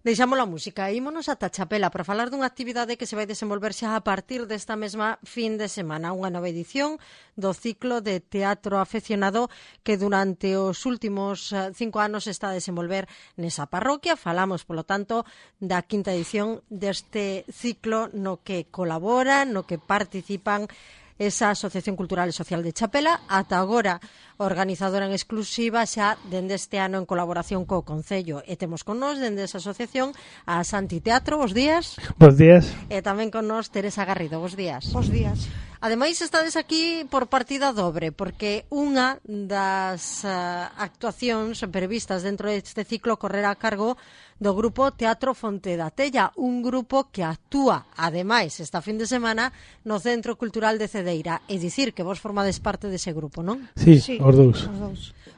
Deixamos a música e ímonos ata Chapela para falar dunha actividade que se vai desenvolver xa a partir desta mesma fin de semana, unha nova edición do ciclo de teatro afeccionado que durante os últimos 5 anos está a desenvolver nesa parroquia. Falamos, polo tanto, da quinta edición deste ciclo no que colaboran, no que participan esa Asociación Cultural e Social de Chapela, ata agora organizadora en exclusiva xa dende este ano en colaboración co Concello. E temos con nós dende esa asociación a Santi Teatro, bos días. Bos días. E tamén con nós Teresa Garrido, bos días. Bos días. Ademais, estades aquí por partida dobre, porque unha das actuacións previstas dentro deste ciclo correrá a cargo do grupo Teatro Fonte da Tella, un grupo que actúa, ademais, esta fin de semana no Centro Cultural de Cedeira. É dicir, que vos formades parte dese grupo, non? Sí, os dous.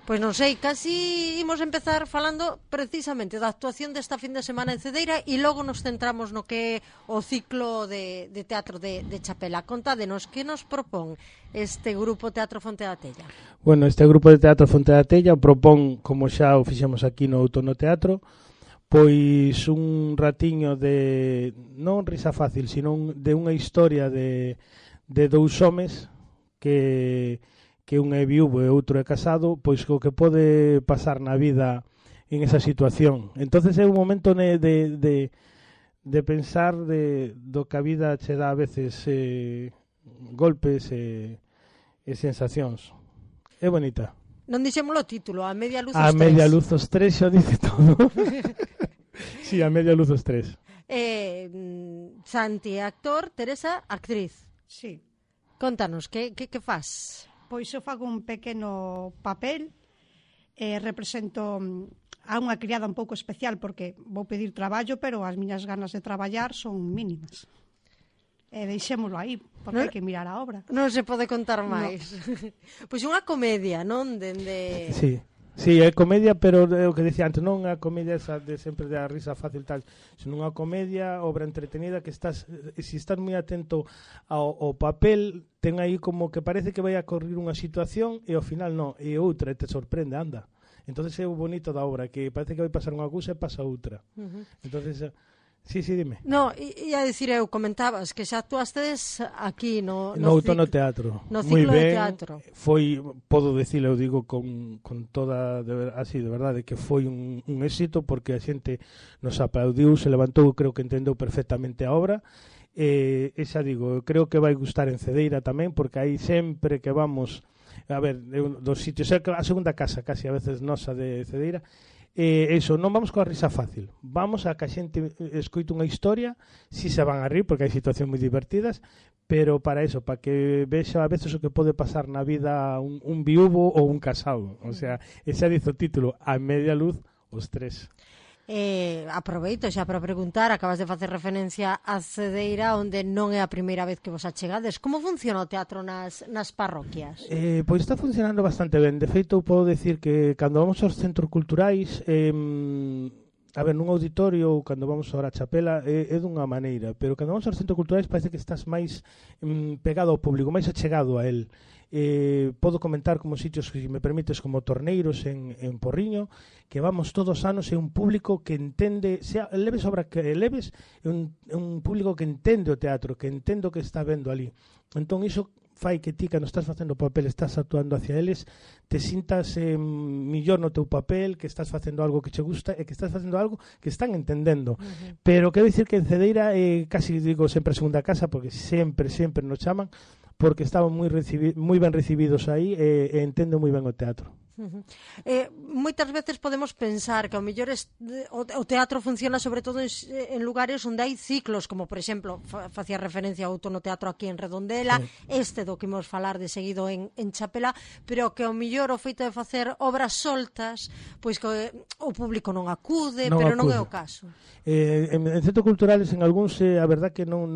Pois non sei, casi imos empezar falando precisamente da actuación desta fin de semana en Cedeira e logo nos centramos no que é o ciclo de teatro de Chapela. Contádenos, que nos propón este grupo Teatro Fonte da Tella? Bueno, este grupo de Teatro Fonte da Tella propón, como xa o fixemos aquí no Outono Teatro, pois un ratiño de, non risa fácil, sino de unha historia de dous homes que un é viúvo e outro é casado, pois o que pode pasar na vida en esa situación. Entonces é un momento de pensar do que a vida che dá a veces golpes e sensacións. É bonita. Non dixémolo o título, A media luz os A tres. media luz os tres xa dice todo. Sí, a media luz os tres. Santi, actor, Teresa, actriz. Sí. Contanos, que faz? Pois eu fago un pequeno papel, represento a unha criada un pouco especial porque vou pedir traballo, pero as miñas ganas de traballar son mínimas. Deixémolo aí, porque hai que mirar a obra. Non se pode contar máis. No. Pois unha comedia, non? Dende... Sí, é comedia, pero o que decía antes, non a comedia esa de sempre da risa fácil tal, senón unha comedia, obra entretenida que estás, se estás moi atento ao papel, ten aí como que parece que vai a correr unha situación e ao final non, e outra, e te sorprende, anda. Entonces é o bonito da obra, que parece que vai pasar unha cousa e pasa outra. Entonces... Sí, dime. No, ia dicir eu, comentabas que xa actuastes aquí no Outono Teatro. No ciclo de teatro. Foi, podo dicilo, eu digo con toda, así, de verdade, que foi un éxito porque a xente nos aplaudiu, se levantou, creo que entendeu perfectamente a obra. E xa digo, creo que vai gustar en Cedeira tamén, porque aí sempre que vamos, a ver, dos sitios, a segunda casa casi a veces nosa de Cedeira, eso, non vamos coa risa fácil, vamos a que a xente escoite unha historia, si se van a rir porque hai situacións moi divertidas, pero para eso, para que vexa a veces o que pode pasar na vida un viúvo ou un casado, o sea, ese dice o título, A media luz os tres. Aproveito xa para preguntar, acabas de facer referencia a Cedeira, onde non é a primeira vez que vos achegades. Como funciona o teatro nas parroquias? Pois está funcionando bastante ben. De feito, podo decir que cando vamos aos centros culturais, a ver, nun auditorio ou cando vamos ahora a Chapela é dunha maneira, pero cando vamos aos centros culturais parece que estás máis pegado ao público, máis achegado a él. Podo comentar como sitios, se me permites, como Torneiros en Porriño, que vamos todos os anos, é un público que entende, sea leves obra que leves, é un público que entende o teatro, que entende o que está vendo ali. Entón iso fai que ti, cando estás facendo o papel, estás actuando hacia eles, te sintas millor no teu papel, que estás facendo algo que che gusta e que estás facendo algo que están entendendo. Pero quero dicir que en Cedeira, casi digo sempre a segunda casa, porque sempre nos chaman, porque estaban moi ben recibidos aí e entendo moi ben o teatro. Moitas veces podemos pensar que ao mellor o teatro funciona sobre todo en lugares onde hai ciclos, como por exemplo facía referencia ao Outono Teatro aquí en Redondela, sí. Do que imos falar de seguido en Chapela, pero que ao mellor o feito de facer obras soltas, pois que o público non acude, non é o caso. En centros culturales, en algúns, a verdad que non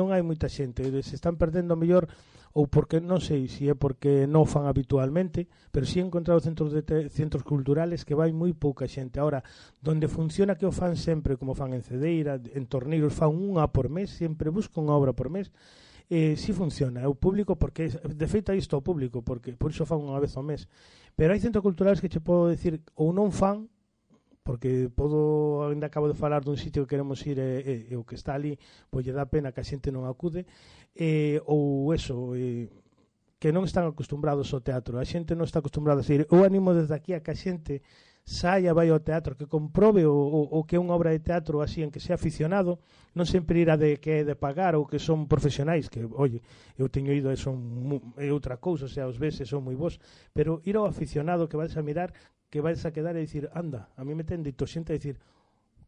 hai moita xente, se están perdendo ao mellor, ou porque non sei se é porque non fan habitualmente, pero si he encontrado centros culturales que vai moi pouca xente. Ahora, donde funciona que o fan sempre, como fan en Cedeira, en Torneiros, fan unha por mes, sempre buscan unha obra por mes, si funciona, é o público, porque de feito aí está o público, porque por iso fan unha vez ao mes. Pero hai centros culturales que che podo decir ou non fan, porque ainda acabo de falar dun sitio que queremos ir e o que está ali, pois lle dá pena que a xente non acude, ou eso, que non están acostumbrados ao teatro, a xente non está acostumbrada a ir. Eu animo desde aquí a que a xente saia, vai ao teatro, que comprobe o que é unha obra de teatro así, en que sea aficionado, non sempre ir a de que é de pagar ou que son profesionais, que, oye, eu teño ido e é outra cousa, o sea, os veces son moi bons, pero ir ao aficionado que vais a mirar, que vais a quedar e dicir, anda, a mí me ten dito xente a dicir,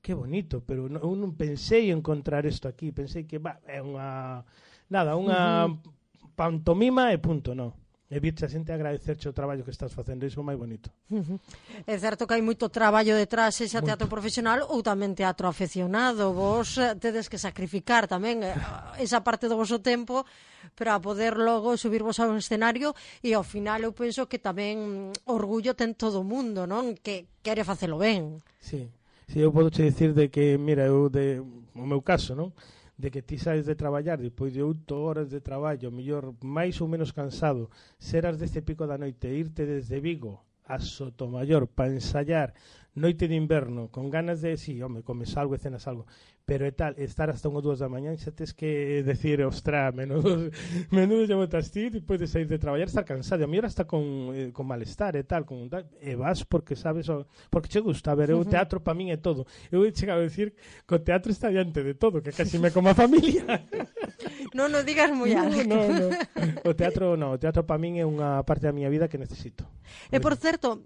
que bonito, pero eu non pensei encontrar isto aquí, pensei que é unha pantomima e punto, non. E virte a xente agradecerche o traballo que estás facendo, iso é máis bonito. É certo que hai moito traballo detrás, ese teatro profesional ou tamén teatro afeccionado. Vos tedes que sacrificar tamén esa parte do voso tempo para poder logo subirvos a un escenario, e ao final eu penso que tamén orgullo ten todo o mundo, non? Que quere facelo ben. Sí, eu podo che dicir de que, mira, o meu caso, non? De que ti saes de traballar depois de 8 horas de traballo, mellor máis ou menos cansado, seras deste pico da noite, irte desde Vigo a Sotomayor para ensayar noite de inverno, con ganas de, sí, home, comes algo e cenas algo, pero é tal, estar hasta 1 ou 2 da mañá, xa tes que decir, ostra, menudo xa botas ti, depois de sair de traballar, estar cansado, a mellor hasta con malestar e tal, e vas porque sabes, porque che gusta, a ver, o teatro para min é todo. Eu he chegado a decir que o teatro está diante de todo, que casi me como a familia. Non o digas moi alto. No. O teatro para min é unha parte da miña vida que necesito. E por certo,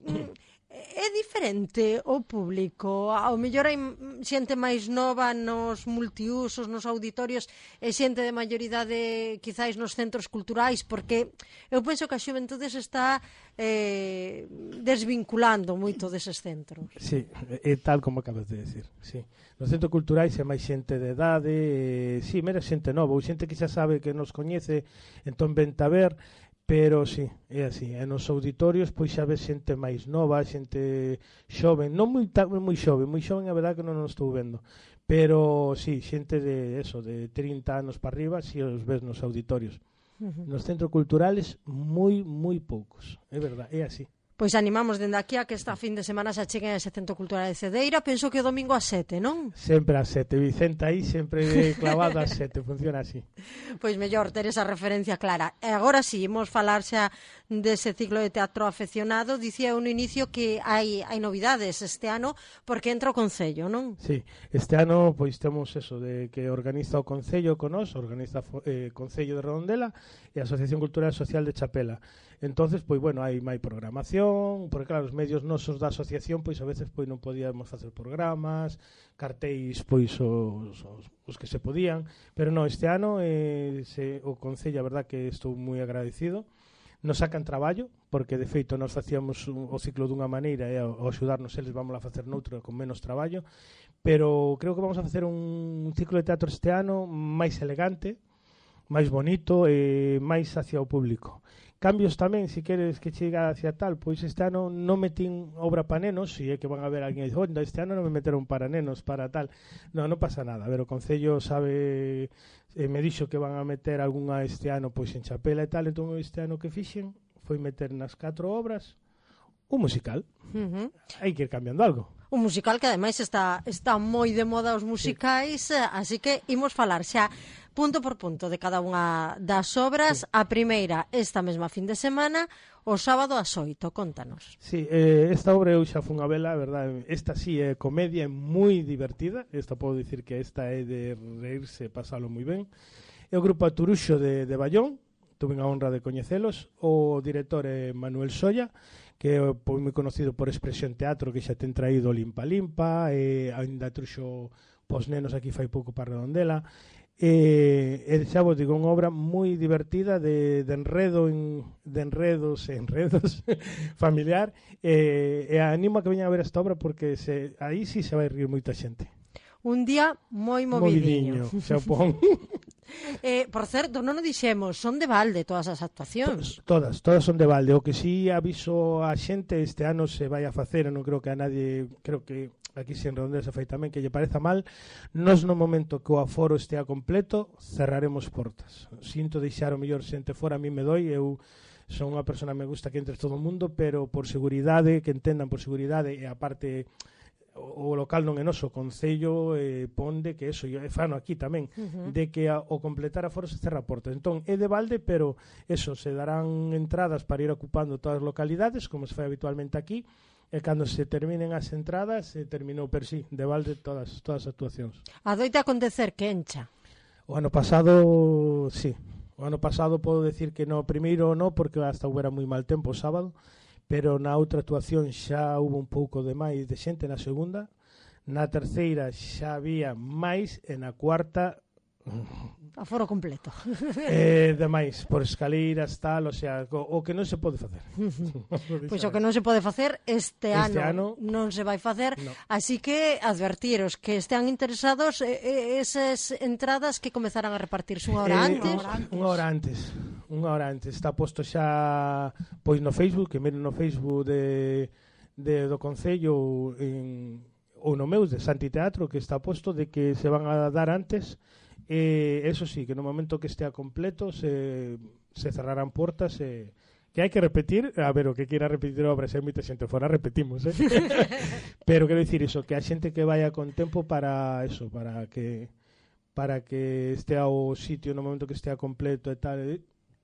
é diferente o público, ao mellor hai xente máis nova nos multiusos, nos auditorios, e xente de maioridade quizáis nos centros culturais, porque eu penso que a xuventude se está desvinculando moito deses centros. Sí, é tal como acabas de decir, sí. Nos centros culturais é máis xente de idade, sí, mera xente nova, ou xente que xa sabe que nos coñece, entón vente a ver. Pero sí, é así, e nos auditorios pois xa ves xente máis nova, xente xoven, non moi xoven, a verdade que non os estou vendo, pero sí, xente de 30 anos para arriba, si os ves nos auditorios. Nos centros culturales moi poucos, é verdade, é así. Pois animamos dende aquí a que esta fin de semana se acheguen a ese Centro Cultural de Cedeira. Penso que o domingo a 7, non? Sempre a 7, Vicente aí sempre clavado a 7, funciona así. Pois mellor ter esa referencia clara. E agora sí, imos falar xa dese ciclo de teatro afeccionado. Dicía eu no inicio que hai novidades este ano porque entra o Concello, non? Sí, este ano pois temos eso de que organiza o Concello con nós, organiza Concello de Redondela e a Asociación Cultural e Social de Chapela. Entonces, pois bueno, hai máis programación, porque claro, os medios nosos da asociación pois a veces pois non podíamos facer programas, cartéis pois os que se podían, pero non, este ano o Concello, a verdad que estou moi agradecido. Nos sacan traballo, porque de feito nos facíamos o ciclo dunha maneira e ao axudarnos eles vamos a facer noutra con menos traballo, pero creo que vamos a facer un ciclo de teatro este ano máis elegante, máis bonito e máis hacia o público. Cambios tamén, se queres que chega hacia tal, pois este ano non metín obra para nenos, se é que van a ver alguén e dice, onda, este ano non me meteron para nenos, para tal. Non pasa nada, a ver, o Concello sabe, me dixo que van a meter algunha este ano pois en Chapela e tal, entón este ano que fixen foi meter nas 4 obras un musical. Hai que ir cambiando algo. Un musical que ademais está moi de moda os musicais, sí. Así que imos falar xa punto por punto de cada unha das obras. Sí. A primeira esta mesma fin de semana, o sábado ás 8, contanos. Sí, esta obra eu xa fun a vela, a verdade, esta sí é comedia, é moi divertida, esta podo dicir que esta é de reírse, pasalo moi ben. É o grupo Aturuxo de Ballón, tuve a honra de coñecelos, o director é Manuel Solla, que é moi conocido por Expresión Teatro, que xa ten traído Limpa Limpa, e ainda truxo pos nenos aquí fai pouco para Redondela. E xa vos digo, unha obra moi divertida de enredos familiar, e animo a que veñan a ver esta obra porque aí sí se vai rir moita xente. Un día moi movidiño. Xa pon. Por certo, non o dixemos, son de balde todas as actuacións. Todas son de balde. O que sí aviso a xente, este ano se vai a facer, non creo que a nadie, creo que aquí se en Redondela se fai tamén, que lle pareza mal, nos no momento que o aforo estea completo, cerraremos portas. Sinto deixar o mellor xente fora, a mí me doi, eu son unha persona que me gusta que entre todo o mundo, pero por seguridade, que entendan por seguridade, e aparte o local non é noso, o Concello pon de que eso, e fano aquí tamén, de que o completar aforo se cerra portas. Entón, é de balde, pero eso, se darán entradas para ir ocupando todas as localidades, como se fai habitualmente aquí, e cando se terminen as entradas, se terminou per sí, de balde todas as actuacións. Adoita acontecer que encha. O ano pasado, sí. O ano pasado podo decir que no primeiro no, porque hasta houbera moi mal tempo o sábado, pero na outra actuación xa hubo un pouco de máis de xente na segunda, na terceira xa había máis, e na cuarta aforo completo. Demais, por escaleiras, tal, o sea, o que non se pode facer. Pois o que non se pode facer este ano non se vai facer, no. Así que advertiros que estean interesados esas entradas que comezarán a repartirse unha hora antes. Unha hora antes. Está posto xa pois no Facebook, que miren no Facebook do Concello ou no meu de Santi Teatro, que está posto de que se van a dar antes. Eso sí, que no momento que estea completo se cerrarán portas, que hai que repetir, a ver, o que quiera repetir a obra, se hai moita xente fora, repetimos, pero quero dicir iso, que a xente que vaya con tempo para eso, para que estea o sitio no momento que estea completo e tal,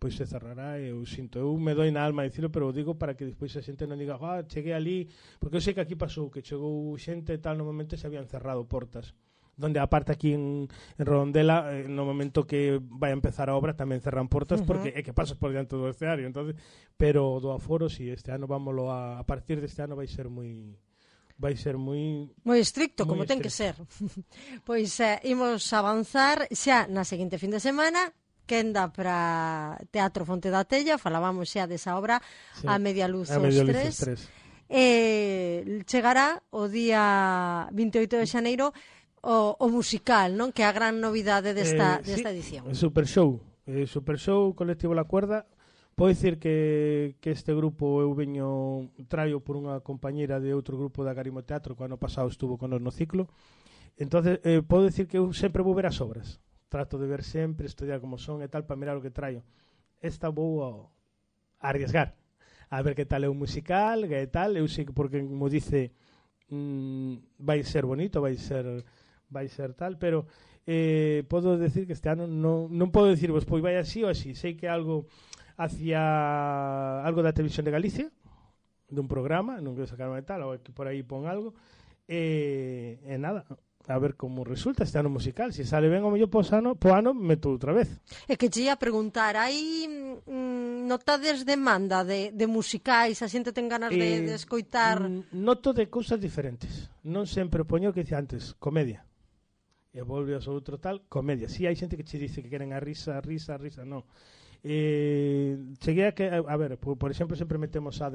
pois se cerrará. Eu sinto, eu me doi na alma dicilo, pero digo para que despois a xente non diga, cheguei ali, porque eu sei que aquí pasou, que chegou xente e tal, no momento se habían cerrado portas, donde aparte aquí en Redondela, no momento que vai a empezar a obra tamén cerran portas, porque é que pasas por diante do escenario, entonces, pero do aforo, si este ano vámoslo a partir deste ano vai ser moi estricto, como ten que ser. Pois imos avanzar xa na seguinte fin de semana, quenda para Teatro Fonte da Tella, falábamos xa desa obra, sí, A Media Luz os Tres. Chegará o día 28 de xaneiro o musical, non? Que é a gran novidade desta edición. Super Show Colectivo La Cuerda. Podo dicir que este grupo eu traio por unha compañeira de outro grupo da Garimo Teatro que o ano pasado estuvo con nos no ciclo. Entonces podo dicir que eu sempre vou ver as obras. Trato de ver sempre, estudiar como son e tal, para mirar o que traio. Esta vou a arriesgar a ver que tal é o musical, que tal. Eu sei que porque como dice vai ser bonito, vai ser tal, pero podo decir que este ano non podo decirvos, pois vai así ou así. Sei que algo hacia algo da Televisión de Galicia, dun programa, non quero sacarme de tal, ou que por aí pon algo, e nada, a ver como resulta este ano musical. Se sale ben o mellor po ano meto outra vez. É que che ia preguntar, hai notades demanda de musicais, a xente ten ganas de escoitar? Noto de cousas diferentes. Non sempre poño o que dice antes, comedia. E volve ao outro tal, comedia. Si hai xente que che dice que queren a risa, non. Cheguei a ver, por exemplo, sempre metemos a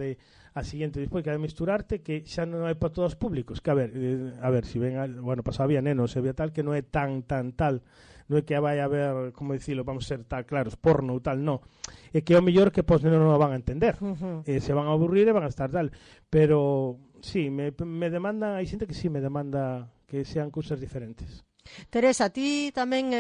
siguiente despois, que é de misturarte, que xa non é para todos os públicos, que a ver, si ven, bueno, pasaba había nenos, había tal, que non é tan tal, non é que vai a ver, como dicilo, vamos a ser tal, claros, porno ou tal, non. É que é o mellor que pos nenos non van a entender, se van a aburrir e van a estar tal, pero sí, me demanda, hai xente que sí me demanda que sean cousas diferentes. Teresa, ti tamén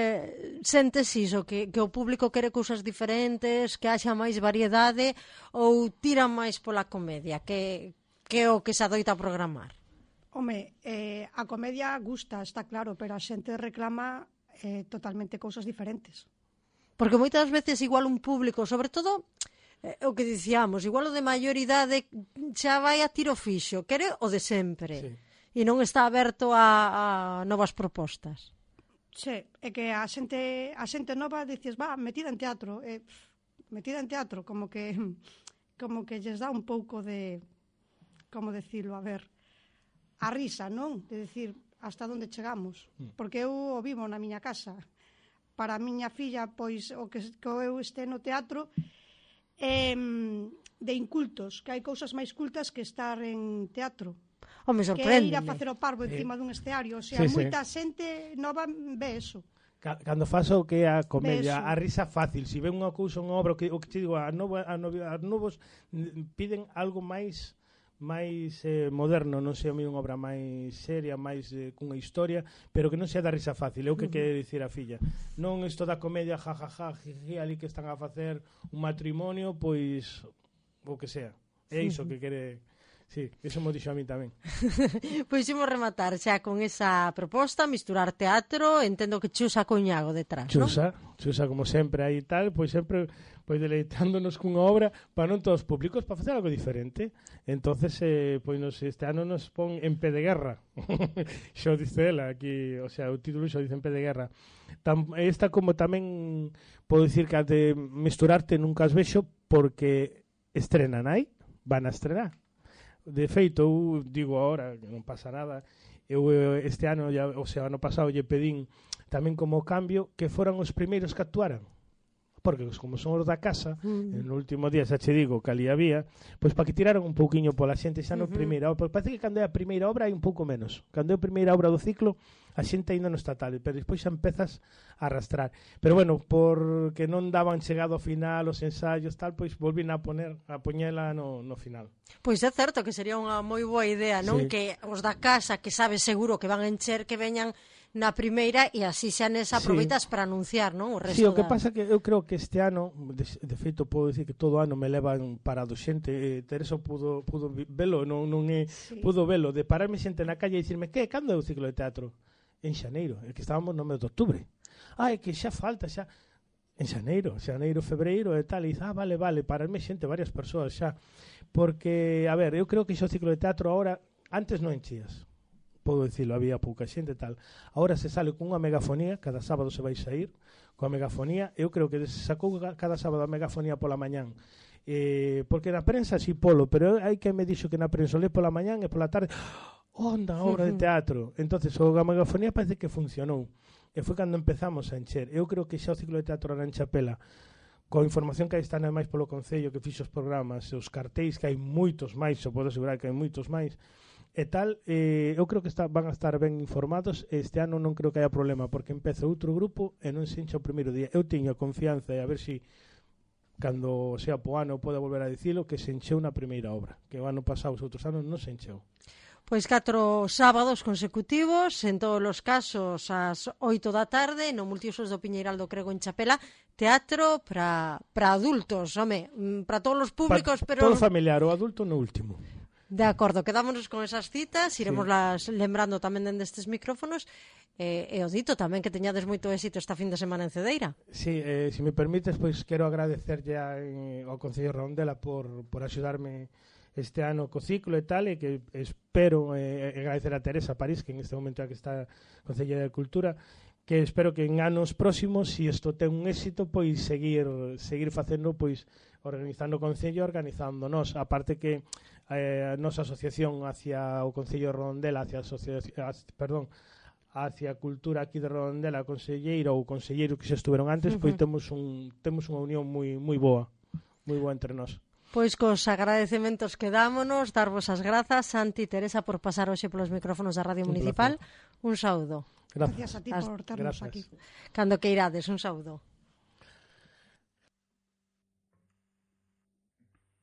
sentes iso, que o público quere cousas diferentes, que haxa máis variedade, ou tira máis pola comedia, que o que se adoita a programar? Home, a comedia gusta, está claro, pero a xente reclama totalmente cousas diferentes. Porque moitas veces igual un público, sobre todo o que dicíamos, igual o de maior idade xa vai a tiro fixo, quere o de sempre. Sí. E non está aberto a novas propostas. Sí, é que a xente nova dices, metida en teatro, como que lles dá un pouco de, como decirlo, a ver, a risa, non? De decir, hasta onde chegamos. Porque eu o vivo na miña casa. Para a miña filla, pois, o que eu este no teatro, de incultos, que hai cousas máis cultas que estar en teatro. Me sorprende. Que ir a facer o parvo encima dun esteario, o sea, moita xente nova ve eso. Cando faz o que é a comedia, a risa fácil, se ven unha cousa, unha obra, o que te digo, as novos piden algo máis moderno, non sei, unha obra máis seria, máis cunha historia, pero que non sea da risa fácil, é o que quere dicir a filla. Non isto da comedia, jiji, ali que están a facer un matrimonio, pois o que sea. É iso que quere. Sí, eso mo dixo a mí tamén. Pois imos rematar xa con esa proposta, misturar teatro, entendo que chusa coñago detrás, non? Chusa como sempre aí tal, pois sempre pois deleitándonos cunha obra para non todos os públicos, para facer algo diferente. Entonces, pois este ano nos pon en pé de guerra. Xo dice ela aquí, o sea, o título xo dice en pé de guerra. Esta como tamén podo dicir que de misturarte nunca as vexo porque estrenan aí, van a estrenar. De feito, eu digo agora, que non pasa nada, eu este ano, o sea, ano pasado lle pedín tamén como cambio que foran os primeiros que actuaran. Porque como son os da casa, no último día xa che digo que ali había, pois para que tiraran un pouquiño pola xente xa no primeira obra, parece que cando é a primeira obra hai un pouco menos. Cando é a primeira obra do ciclo, a xente ainda non está tal, pero despois xa empezas a arrastrar. Pero bueno, porque non daban chegado ao final os ensaios tal, pois volvín a poñela no final. Pois é certo que sería unha moi boa idea, non? Sí. Que os da casa, que sabes seguro que van a encher, que veñan na primeira e así xa nesa aproveitas para anunciar, non? O resto. Sí, o que pasa que eu creo que este ano, de feito podo dicir que todo ano me levan parado xente, Teresa pudo velo, non é, sí. Pudo velo, de pararme xente na calle e dicirme, que, cando é o ciclo de teatro? En xaneiro, que estábamos no mes de outubro. É que xa falta, xa en xaneiro, febreiro e tal, e dice, vale, pararme xente, varias persoas xa, porque, a ver, eu creo que xa o ciclo de teatro ahora, antes non enchías, podo dicirlo, había pouca xente e tal. Ahora se sale cunha megafonía, cada sábado se vai sair coa megafonía. Eu creo que se sacou cada sábado a megafonía pola mañán. Porque na prensa si polo, pero hai que me dixo que na prensa lê pola mañán e pola tarde, onda, obra de teatro. Entonces, a megafonía parece que funcionou. E foi cando empezamos a encher. Eu creo que xa o ciclo de teatro era en Chapela, coa información que aí está máis polo Concello que fixo os programas, os cartéis, que hai moitos máis, eu podo asegurar que hai moitos máis, e tal, eu creo que van a estar ben informados. Este ano non creo que haya problema, porque empeza outro grupo e non se encha o primeiro día. Eu teño confianza e a ver se cando sea po ano podo volver a dicilo, que se encheu na primeira obra, que o ano pasado os outros anos non se encheu. Pois 4 sábados consecutivos, en todos os casos ás 8 da tarde, no Multiusos do Piñeiral do Crego en Chapela, teatro para adultos, home, para todos os públicos, pero todo familiar, o adulto no último. De acordo, quedámonos con esas citas, iremos las lembrando tamén dende estes micrófonos, e o dito tamén que teñades moito éxito esta fin de semana en Cedeira. Sí, se me permites, pois quero agradecerlle ao Concello de Redondela por axudarme este ano co ciclo e tal, e que espero agradecer a Teresa París, que en este momento é que está Concelleira de Cultura, que espero que en anos próximos, se isto ten un éxito, pois seguir facendo, pois organizando o Concello, organizándonos, aparte que a nosa asociación hacia o Concello de Redondela, hacia a cultura aquí de Redondela, a conselleira ou conselleiro que xa estuveron antes, pois temos unha unión moi boa entre nós. Pois cos agradecementos quedámonos, darvos as grazas, Santi e Teresa, por pasar hoxe polos micrófonos da Radio Municipal. Un saúdo. Gracias a ti por ternos aquí. Cando que irades, un saúdo.